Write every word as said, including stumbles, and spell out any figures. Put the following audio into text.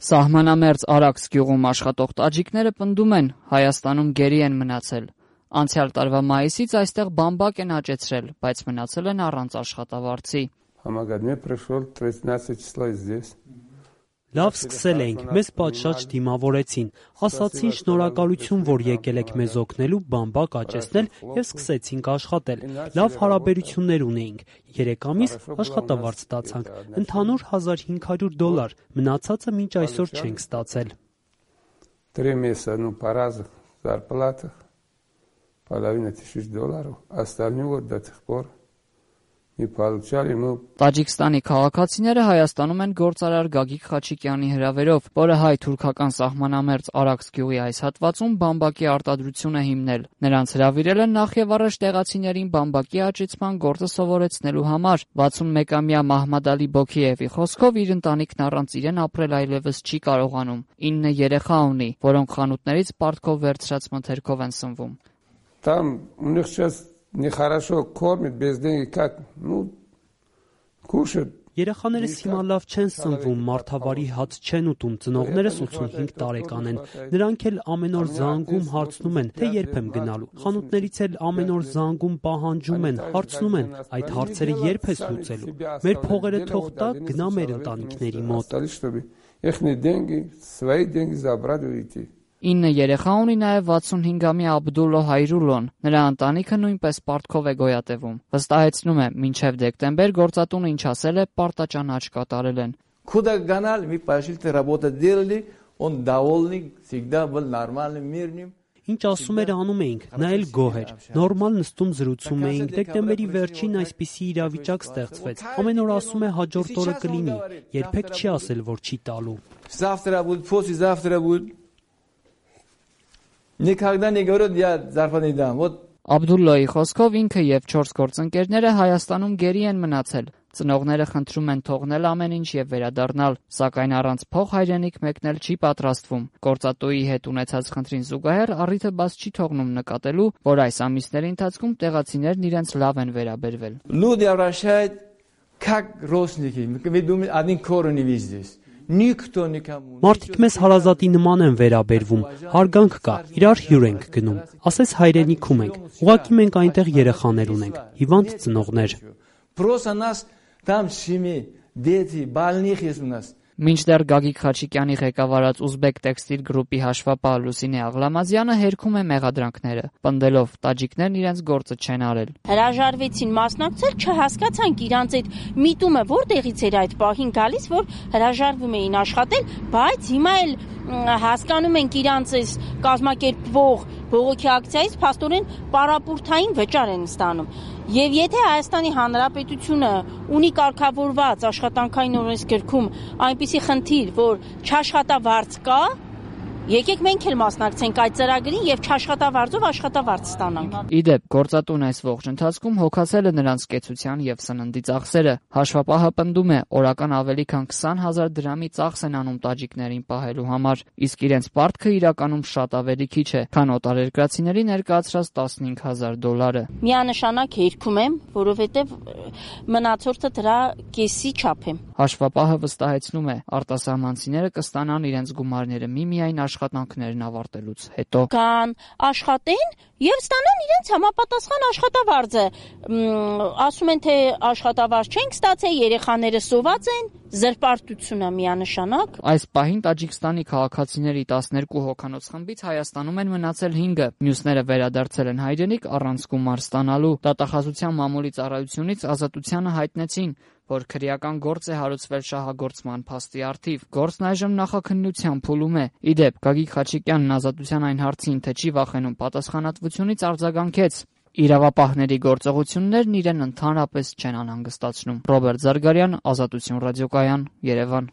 Սահմանամերձ Արաքս գյուղում աշխատող տաջիկները պնդում են, Հայաստանում գերի են մնացել։ Անցյալ տարվա մայիսից այստեղ բամբակ են աճեցրել, բայց մնացել են առանց աշխատավարձի։ Լավ սկսել էինք, մեզ պատշաճ դիմավորեցին, ասացին շնորհակալություն, որ եկել եք մեզ օգնելու բամբակ աճեցնել եւ սկսեցինք աշխատել։ Լավ հարաբերություններ ունեինք, երեք ամիս աշխատավարձ ստացանք, ընդհանուր հազար հինգ հարյուր դոլար, մնացածը մինչ այսօր չենք ստացել։ Տաջիկստանի քաղաքացիները Հայաստանում են գործարար Գագիկ Խաչիկյանի հրավերով, որը հայ-թուրքական սահմանամերձ Արաքս գյուղի այս հատվածում բամբակի արտադրություն է հիմնել։ Նրանց հրավիրել են նախևառաջ տեղացիներին բամբակի աճեցման գործը սովորեցնելու համար։ վաթսունմեկամյա Մահմադ Ալի Բոքիևի խոսքով իր ընտանիքն առանց իրեն ապրել այլևս չի կարողանում։ ինը երեխա ունի, որոնք խանութներից պարտքով վերցրած մթերքով են սնվում։ Нехорошо кормят, без денег как, ну, кушают. Երեխաներս հիմա լավ չեն սնվում, մարդավարի հաց չեն ուտում, ծնողներս ութսունհինգ տարեկան են։ Նրանք էլ ամեն օր զանգում հարցնում են, թե երբ եմ գնալու։ Խանութներից էլ ամեն օր զանգում պահանջում են, հարցնում են, այդ հարցերը երբ ես լուծելու։ Մեր փողերը թող տա, գնա մեր ընտանիքների մոտ։ ինը երեխա ունի նաև վաթսունհինգամյա Աբդուլլո Հայրուլոն։ Նրա ընտանիքը նույնպես պարտքով է գոյատևում։ Վստահեցնում է, մինչև դեկտեմբեր գործատունը ինչ ասել է, պարտաճանաչ կատարել են։ Куда гнали, мы пошли, работу делали, он довольный, всегда был нормальным, мирным. Ինչ ասում էր անում էինք, նա էլ գոհ էր։ Նորմալ նստում զրուցում էինք, դեկտեմբերի վերջին այսպիսի իրավիճակ ստեղծվեց։ Ամեն օր ասում է հաջորդ օրը կլինի, երբեք չի ասել, որ չի տալու։ Завтра будет, послезавтра будет. Никогда не говорят, я зарплату не дам. Вот Աբդուլլոյի խոսքով ինքը եւ չորս գործընկերները Հայաստանում գերի են մնացել։ Ծնողները խնդրում են թողնել ամեն ինչ եւ վերադառնալ, սակայն առանց փող հայրենիք մեկնել չի պատրաստվում։ Գործատուի հետ ունեցած խնդրին զուգահեռ առիթը բաց չի թողնում նկատելու, որ այս ամիսների ընթացքում տեղացիներն իրենց լավ են վերաբերվել։ Люди обращают как родственники. Мы думаем, один корень здесь. Մարդիկ մեզ հարազատի նման են վերաբերվում, հարգանք կա, իրար հյուր ենք գնում, ասես հայրենիքում ենք, ուղղակի մենք այնտեղ երեխաներ ունենք, հիվանդ ծնողներ։ Մինչդեռ Գագիկ Խաչիկյանի ղեկավարած ուզբեկ տեքստիլ գրուպի հաշվապահ Լուսինե Աղլամազյանը հերքում է մեղադրանքները, պնդելով տաջիկներն իրենց գործը չեն արել։ Հրաժարվեցին մասնակցել, չհասկացանք իրանց այդ միտումը որտեղից էր այդ պահին գալիս, որ հրաժարվում էին աշխատել, բայց հիմա էլ հասկանում ենք իրանց այս կազմակերպվող բողոքի ակցիայից փաստորեն պարապուրտային վճար են ստանում։ Եվ եթե Հայաստանի Հանրապետությունը ունի կարգավորված աշխատանքային օրենսգրքում այնպիսի խնդիր, որ չաշխատավարձ կա, եկեք մենք էլ մասնակցենք այդ ծրագրին եւ չաշխատավարձով աշխատավարձ ստանանք։ Իդեպ, գործատուն այս ողջ ընթացքում հոգացել է նրանց կեցության եւ սննդի ծախսերը։ Հաշվապահը պնդում է, օրական ավելի քան քսան հազար դրամի ծախս են անում տաջիկներին պահելու համար, իսկ իրենց պարտքը իրականում շատ ավելի քիչ է, քան օտարերկրացիների ներկայացրած տասնհինգ հազար դոլարը։ Միանշանակ հերքում եմ, որովհետեւ մնացորդը դրա կեսի չափ է։ Հաշվապահը վստահեցնում է, արտասահմանցիները կստանան իրենց գումարները միմիայն աշխատանքներն ավարտելուց հետո։ Կան աշխատեն եւ ստանան իրենց համապատասխան աշխատավարձը։ Ասում են, թե աշխատավարձ չենք ստացել, երեխաները սոված են, զրպարտությունը միանշանակ։ Այս պահին Տաջիկստանի քաղաքացիների տասներկու հոգանոց խմբից Հայաստանում են մնացել հինգը, մյուսները վերադարձել են հայրենիք առանց գումար ստանալու։ Դատախազության մամուլի ծառայությունից Ազատությանը հայտնեցին, որ քրեական գործ է հարուցվել շահագործման փաստի առթիվ։ Գործն այժմ նախաքննության փուլում է։ Իդեպ, Գագիկ Խաչիկյանն Ազատության այն հարցին, թե չի վախենում պատասխանատվությունից, արձագանքեց. Իրավապահների գործողություններն իրեն ընդհանրապես չեն անհանգստացնում։ Ռոբերտ Զարգարյան, Ազատություն ռադիոկայան, Երևան։